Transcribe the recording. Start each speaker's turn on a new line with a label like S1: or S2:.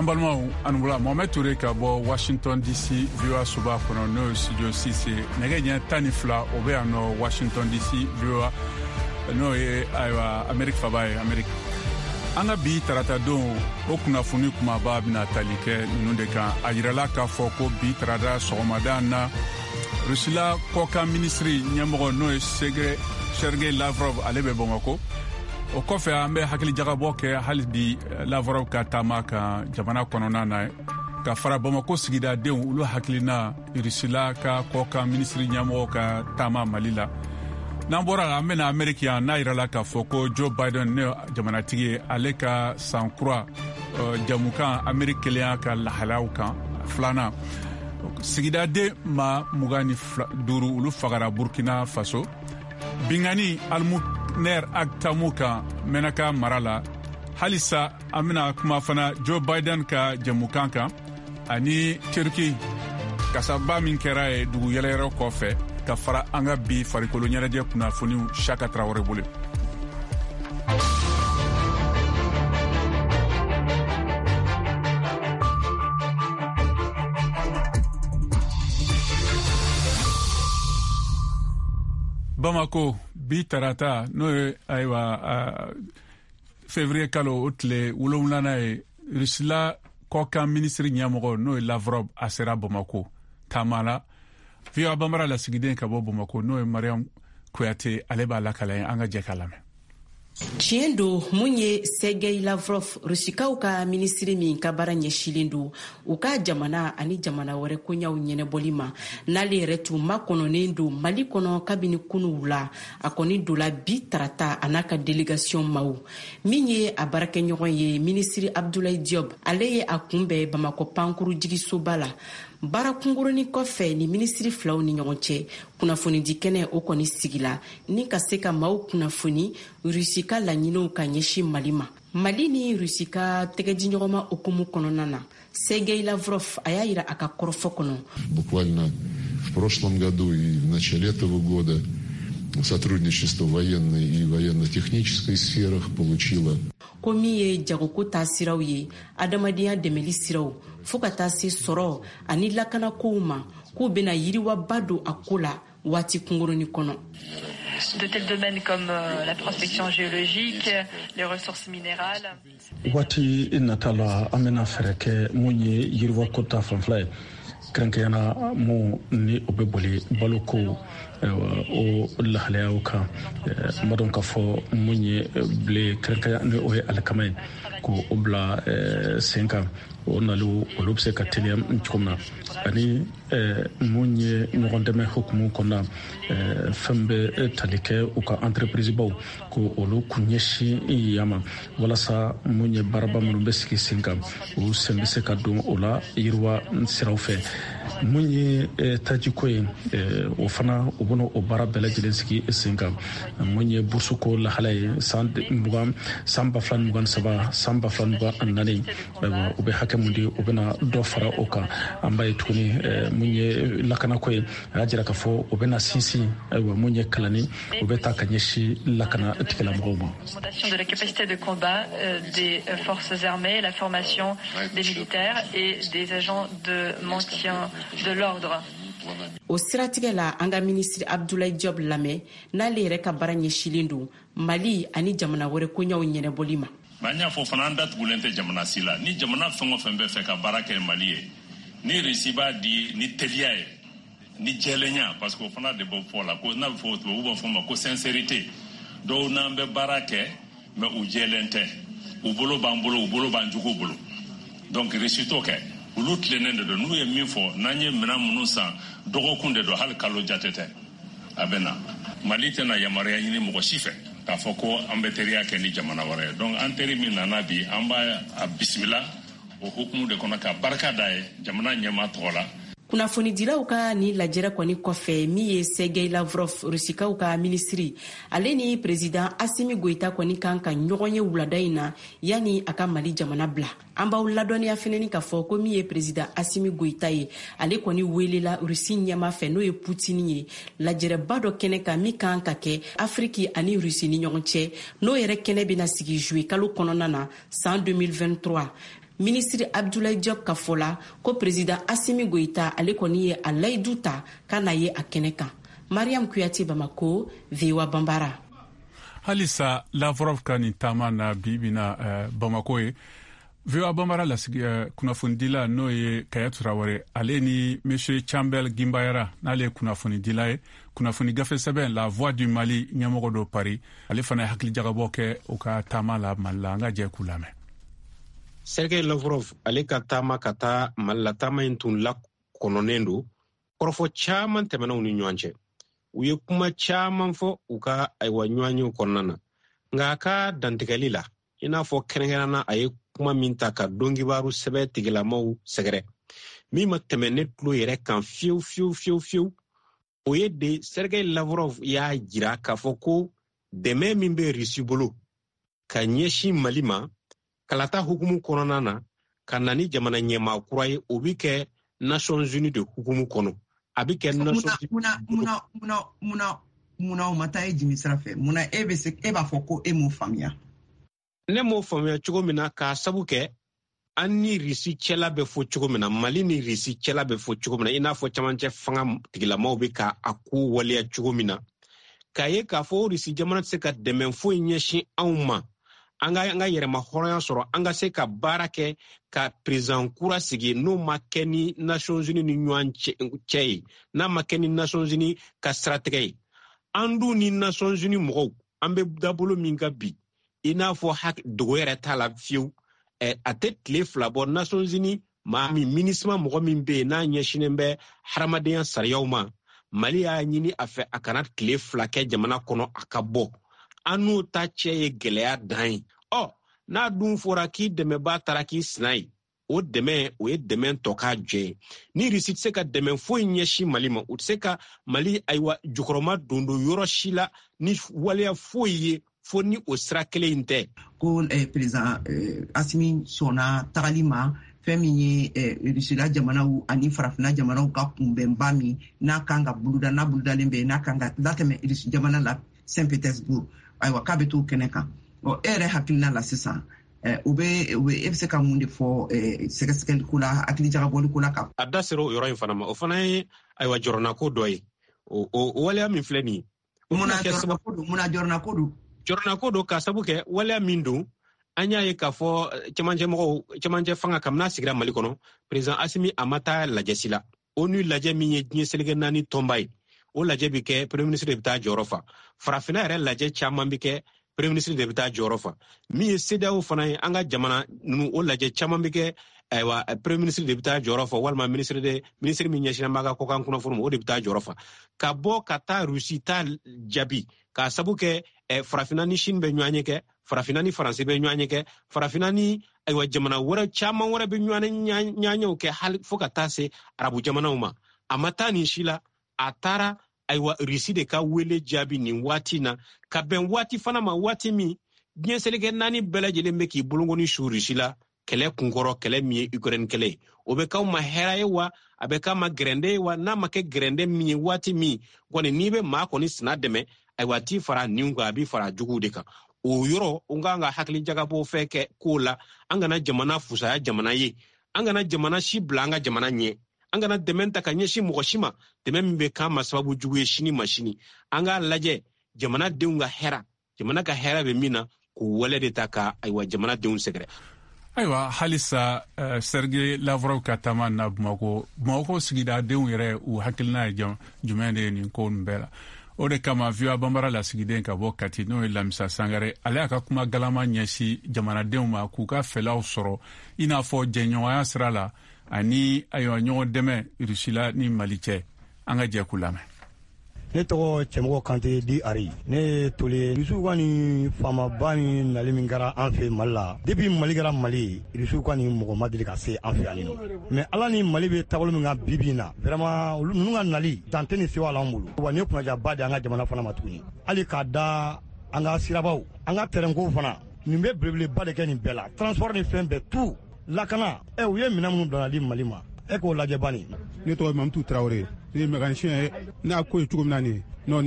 S1: Balimaw, a ni wula. Mohamed Toure ka bɔ Washington DC, VOA soba kɔnɔ, n'o ye studio 6 ye. Nɛgɛ ɲɛ 12, o bɛ yan nɔ Washington DC, VOA, n'o ye ayiwa Amerique faba ye, Amerique. An ka bi tarata don o kunnafoni kumaba bɛna tali kɛ ninnu de kan. A yirala k'a fɔ ko bi tarata sɔgɔmada na, Rusila kɔkan minisiri ɲɛmɔgɔ, n'o ye Sergei Lavrov, ale bɛ Bamakɔ. O kɔfɛ, an bɛ hakilijagabɔ kɛ hali bi Lavrov ka taama kan jamana kɔnɔna na, ka fara Bamakɔ sigidadenw olu hakilina Rusila ka kɔkan minisiri ɲɛmɔgɔ ka taama Mali la. N'an bɔra la, an bɛna Ameriki yan, n'a yirala k'a fɔ ko Joe Biden ne jamanatigi ye, ale ka san kura jamukan Ameriki kelenya ka lahalayaw kan filanan. Sigidaden ma 25, olu fagara Burkina Faso. Bingani Almoner Ag Tamu kan Menaka mara la. Halisa, an bɛna kuma fana Joe Biden ka jamukan kan ani Turki kasaba min kɛra ye dugu yɛlɛyɛrɛ kɔfɛ, ka fara an ka bi farikolo ɲɛnajɛ kunnafoniw, Saka Tarawele bolo. Bamako, bi tarata, n'o ye ayiwa février kalo o tile 7nan ye, Rusila kɔkan minisiri ɲɛmɔgɔ, n'o ye Lavrov, a sera Bamako taama la. VOA Bambara lasigiden ka bɔ Bamako, n'o ye Mariam Kuyate, ale b'a lakala ye. An ka jɛ k'a lamɛn.
S2: Tiɲɛ don, mun ye Sergei Lavrov, Rusikaw ka minisiri min ka baara ɲɛsilen don u ka jamana ani jamana wɛrɛ koɲaw ɲɛnɛbɔli ma, n'ale yɛrɛ tun makɔnɔnen don Mali kɔnɔ kabini kunu wula, a kɔni donla bi tarata, a n'a ka délégation maw. Min ye a baarakɛɲɔgɔn ye, minisiri Abdoulaye Diop, ale ye a kunbɛn Bamakɔ pankuru jigisoba la. Baara kunkurunin kɔfɛ ni minisiri filaw ni ɲɔgɔn cɛ, kunnafonidi kɛnɛ o kɔni sigila ni ka se ka maaw kunnafoni Rusi ka laɲiniw ka ɲɛsin Mali ma. Mali ni Rusi ka tɛgɛdiɲɔgɔnma hukumu kɔnɔna na, Sergei Lavrov a y'a yira a ka kɔrɔfɔ kɔnɔ.
S3: Буквально в прошлом году и в начале этого года сотрудничество в военной и военно-технической сферах получило
S2: Ko min ye jagoko ta siraw ye, adamadenya dɛmɛli siraw, fɔɔ ka taa se sɔrɔ ani lakanakow ma, k'u bena yiriwaba don a ko la waati kunkurunin kɔnɔ.
S4: De tels domaines comme la prospection géologique, les ressources minérales.
S5: Waati nata la, an bɛna fɛɛrɛ kɛ mun ye yiriwako ta fanfɛla ye, kɛrɛnkɛrɛnyana mun ni o bɛ boli baloko o lahalayaw kan. N b'a dɔn k'a fɔ mun ye blé, kɛrɛnkɛrɛnya ni o ye alikama ye, ko o bila sen kan, o naliw olu bɛ se ka teliya cogo min na, ani mun ye ɲɔgɔn dɛmɛ hukumu kɔnɔna, fɛn bɛ tali kɛ u ka entreprise baw, ko olu kun ɲɛsin yan ma, walasa mun ye baaraba minnu bɛ sigi sen kan, o sen bɛ se ka don o la yiriwa siraw fɛ. Mun ye tajiko ye, o fana u bɛna o baara bɛɛ lajɛlen sigi sen kan. Mun ye burusuko lahala ye, san 20, san 2023, san 2024, ayiwa, u bɛ hakɛ mun di, u bɛna dɔ fara o kan. An b'a ye tuguni, mun ye lakanako ye, a y'a jira k'a fɔ u bɛna sinsin, ayiwa, mun ye kalanni, u bɛ taa ka ɲɛsin lakana tigilamɔgɔw ma.
S4: De la capacité de combat des forces armées, la formation des militaires et des agents de maintien de l'ordre.
S2: O siratigɛ la, an ka minisiri Abdoulaye Diop lamɛn, n'ale yɛrɛ ka baara ɲɛsilen don Mali ani jamana wɛrɛ koɲaw ɲɛnɛbɔli ma.
S6: An y'a fɔ fana, an datugulen tɛ jamana si la. Ni jamana fɛn o fɛn bɛ fɛ ka baara kɛ Mali ye, ni Risi b'a di ni teliya ye, ni jɛlenya, parce que o fana de bɔ fɔ la ko n'a bɛ fɔ, tubabu b'a fɔ ma ko sincérité. Dɔw n'an bɛ baara kɛ, mais u jɛlen tɛ, u bolo b'an bolo, u bolo b'an jugu bolo. Donc Risi t'o kɛ, olu tilennen de don. N'u ye min fɔ, n'an ye minɛn minnu san, dɔgɔkun de don, hali kalo jate tɛ, a bɛ na. Mali tɛna yamaruya ɲini mɔgɔ si fɛ k'a fɔ ko an bɛ teriya kɛ ni jamana wɛrɛ ye. Donc an teri min nana bi, an b'a a bisimila o hukumu de kɔnɔ, ka barika da ye jamana ɲɛmaa tɔgɔ la.
S2: Kunnafonidilaw ka ni lajɛrɛ kɔni kɔfɛ, min ye Sergei Lavrov, Rusikaw ka minisiri, ale ni président Asimi Goyita kɔni kan ka ɲɔgɔn ye wulada in na, yanni a ka Mali jamana bila. An b'aw ladɔnniya fɛnɛni k'a fɔ ko min ye président Asimi Goyita ye, ale kɔni welela Rusi ɲɛma fɛ, n'o ye Putini ye, lajɛrɛba dɔ kɛnɛ kan min kan ka kɛ Afiriki ani Rusi ni ɲɔgɔn cɛ, n'o yɛrɛ kɛnɛ bɛna sigi juillet kalo kɔnɔna na san 2023. Minisiri Abdoulaye Diop ka fɔ la ko président Assimi Goïta ale kɔni ye a layidu ta ka na ye a kɛnɛ kan. Mariam Kuyate, Bamako, VOA Bambara.
S1: Halisa Lavrov ka nin taama na bi bi na Bamako ye, VOA Bambara lasigi kunnafonidila, n'o ye Kaya Turawere, ale ni Monsieur Chambel Gimbayara, n'ale ye kunnafonidila ye, kunnafoni gafe sɛbɛn La Voix du Mali ɲɛmɔgɔ do Paris, ale fana ye hakilijagabɔ kɛ u ka taama la Mali la. An ka jɛ k'u lamɛn.
S7: Sergei Lavrov ale ka taama ka taa Mali la, taama in tun lakɔnɔnen don. Kɔrɔfɔ caman tɛmɛna u ni ɲɔgɔn cɛ, u ye kuma caman fɔ u ka ayiwa ɲɔgɔnyew kɔnɔna na. Nka a ka dantigɛli la, i n'a fɔ kɛrɛnkɛrɛnna, a ye kuma min ta ka donkibaru sɛbɛ tigilamaw sɛgɛrɛ, min ma tɛmɛ ne tulo yɛrɛ kan fiyewu fiyewu fiyewu fiyewu, o ye de Sergei Lavrov y'a jira k'a fɔ ko dɛmɛ min bɛ Risi bolo ka ɲɛsin Mali ma kalata hukumu kɔnɔna na, ka na ni jamana ɲɛmaa kura ye, o bɛ kɛ Nations Unies de hukumu kɔnɔ, a bɛ kɛ Nations
S8: Munna o ma taa e jimi sira fɛ? Munna e bɛ se e b'a fɔ ko e m'o faamuya?
S7: Ne m'o faamuya cogo min na, k'a sabu kɛ an ni Risi cɛla bɛ fɔ cogo min na, Mali ni Risi cɛla bɛ fɔ cogo min na, i n'a fɔ camancɛ fanga tigilamaw bɛ ka a ko waleya cogo min na, k'a ye k'a fɔ Risi jamana tɛ se ka dɛmɛ foyi ɲɛsin anw ma an ka yɛrɛma hɔrɔnya sɔrɔ, an ka se ka baara kɛ ka président kura sigi, n'o ma kɛ ni Nations Unies ni ɲɔgɔn cɛ ye, n'a ma kɛ ni Nations Unies ka siratigɛ ye. An dun ni Nations Unies mɔgɔw, an bɛ dabolo min kan bi, i n'a fɔ dogo yɛrɛ t'a la fiyewu, a tɛ tile 2 bɔ, Nations Unies maa min, MINUSMA mɔgɔ min bɛ yen n'a ɲɛsinnen bɛ hadamadenya sariyaw ma, Mali y'a ɲini a fɛ a kana tile 2 kɛ jamana kɔnɔ, a ka bɔ. An n'o ta cɛ ye gɛlɛya dan ye. Ɔ n'a dun fɔra k'i dɛmɛbaa taara k'i sina ye, o dɛmɛ, o ye dɛmɛ tɔ k'a jɛ ye. Ni Risi tɛ se ka dɛmɛ foyi ɲɛsin Mali ma, u tɛ se ka Mali ayiwa jukɔrɔma don don yɔrɔ si la ni waleya foyi ye, fo ni o sira kelen in tɛ.
S8: Ko président Asimi sɔnna tagali ma, fɛn min ye Rusila jamanaw ani Farafina jamanaw ka kunbɛnba min n'a kan ka boloda, n'a bolodalen bɛ, n'a kan ka latɛmɛ Rusi jamana la, Saint Petersbourg, ayiwa k'a bɛ t'o kɛnɛ kan. Ɔ, e yɛrɛ hakilina la sisan, o bɛ e bɛ se ka mun de fɔ sɛgɛsɛgɛliko la, hakilijagabɔliko la ka
S7: A da sera o yɔrɔ in fana ma, o fana ye ayiwa jɔrɔnako dɔ ye, o waleya min filɛ nin ye.
S8: Munna jɔrɔnako don? Munna jɔrɔnako don?
S7: Jɔrɔnako don k'a sabu kɛ waleya min don, an y'a ye k'a fɔ cɛmancɛ mɔgɔw, cɛmancɛ fanga, kabini a sigira Mali kɔnɔ, président Asimi a ma taa lajɛ si la. ONU lajɛ min ye diɲɛ seleke naani tɔnba ye, o lajɛ bɛ kɛ, premier ministre de bɛ taa jɔyɔrɔ fa. Farafinna yɛrɛ lajɛ caman bɛ kɛ, premier ministre de bɛ taa jɔyɔrɔ fa. Min ye CEDEAO fana ye, an ka jamana ninnu, o lajɛ caman bɛ kɛ, ayiwa premier ministre de bɛ taa jɔyɔrɔ fa, walima ministre de ministre min ɲɛsinnen b'a ka kɔkan kunnafoni ma, o de bɛ taa jɔyɔrɔ fa. Ka bɔ ka taa Rusi ta jaabi, k'a sabu kɛ Farafinna ni Chine bɛ ɲɔgɔn ɲɛ kɛ, Farafinna ni Faransi bɛ ɲɔgɔn ɲɛ kɛ, Farafinna ni ayiwa jamana wɛrɛ caman wɛrɛ bɛ ɲɔgɔn ɲɛw kɛ, hali fo ka taa se arabu jamanaw ma. A ma taa nin si la, a taara ayiwa Risi de ka wele jaabi nin waati na, ka bɛn waati fana ma, waati min diɲɛ seleke naani bɛɛ lajɛlen bɛ k'i bolokɔni su Risi la kɛlɛ kunkɔrɔ, kɛlɛ min ye Ukraine kɛlɛ ye. O bɛ k'aw ma hɛrɛ ye wa, a bɛ k'a ma gɛrɛndɛ ye wa? N'a ma kɛ gɛrɛndɛ min ye, waati min kɔni n'i bɛ maa kɔni sina dɛmɛ, ayiwa a t'i fara nin kan, a b'i fara juguw de kan. O yɔrɔ, o kan ka hakili jagabɔ fɛn kɛ kow la. An kana jamana fusaya jamana ye, an kana jamana si bila an ka jamana ɲɛ, an kana dɛmɛ ta ka ɲɛsin mɔgɔ si ma, dɛmɛ min bɛ k'an ma sababu jugu ye sini ma sini. An k'a lajɛ jamanadenw ka hɛrɛ, jamana ka hɛrɛ bɛ min na, k'o wale de ta ka ayiwa jamanadenw sɛgɛrɛ.
S1: Ayiwa, halisa Sergei Lavrov ka taama na Bamako, Bamako sigidadenw yɛrɛ, u hakilina ye jumɛn de ye nin ko nin bɛɛ la? O de kama VOA Banbara lasigiden ka bɔ Kati, n'o ye Lamisa Sangare, ale y'a ka kuma galama ɲɛsin jamanadenw ma k'u ka fɛlaw sɔrɔ, i n'a fɔ jɛɲɔgɔnya sira la ani ayiwa ɲɔgɔn dɛmɛ Rusila ni Mali cɛ. An ka jɛ k'u lamɛn.
S9: Ne tɔgɔ Cɛmɔgɔ Kante di Ari, ne ye tole. Rusiw ka nin faamaba ni nali min kɛra an fɛ Mali la, depuis Mali kɛra Mali ye, Rusiw ka nin mɔgɔ ma deli ka se an fɛ yan nɔ. Mais Ala ni Mali bɛ taabolo min kan bi bi in na, vraiment olu ninnu ka nali dante ni sewa l'an bolo wa. Nin ye kunnajaba de an ka jamana fana ma tuguni, hali k'a da an ka sirabaw, an ka tɛrɛnkow fana, nin bɛ belebeleba de kɛ nin bɛɛ la, transport ni fɛn bɛɛ, tout lakana. Ɛ, u ye minɛn minnu bila di Mali ma, e k'o lajɛ bani.
S10: Ne tɔgɔ Mamutu Tarawele, ne ye mécanicien ye. N'a ko ye cogo min na nin ye.